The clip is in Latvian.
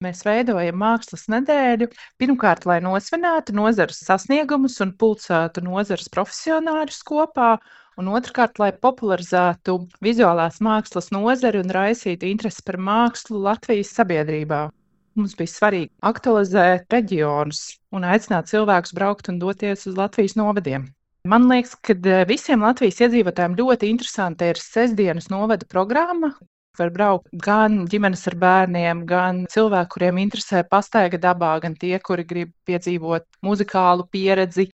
Mēs veidojam mākslas nedēļu, pirmkārt, lai nosvinētu nozares sasniegumus un pulcētu nozares profesionāļus kopā, un otrkārt, lai popularizētu vizuālās mākslas nozari un raisītu interesi par mākslu Latvijas sabiedrībā. Mums bija svarīgi aktualizēt reģionus un aicināt cilvēkus braukt un doties uz Latvijas novadiem. Man liekas, ka visiem Latvijas iedzīvotājiem ļoti interesanta ir sestdienas novada programma. Var braukt gan ģimenes ar bērniem, gan cilvēki, kuriem interesē pastaiga dabā, gan tie, kuri grib piedzīvot muzikālu pieredzi,